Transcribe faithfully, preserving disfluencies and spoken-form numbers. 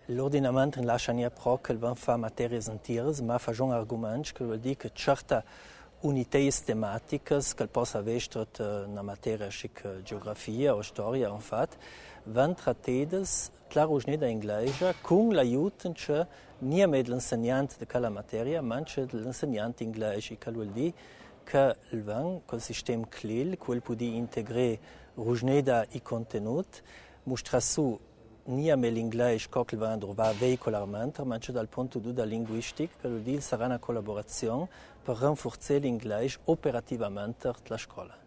l'ordinamento lascia nie pro che van fa materie entiere, ma fa un argomento che vuol dire che certe unità tematiche che possa avere una materia come geografia o storia, infatti, vanno trattate claramente in inglese con l'aiuto che non è l'insegnante di quella materia, ma l'insegnante inglese, che vuol dire che il van col sistema C L I L, quel può integrare rusneda i contenuti, mostra su non è l'inglese che il van va veicolarmente, ma anche dal punto di vista linguistico, che vuol dire sarà una collaborazione per rafforzare l'inglese operativamente della scuola.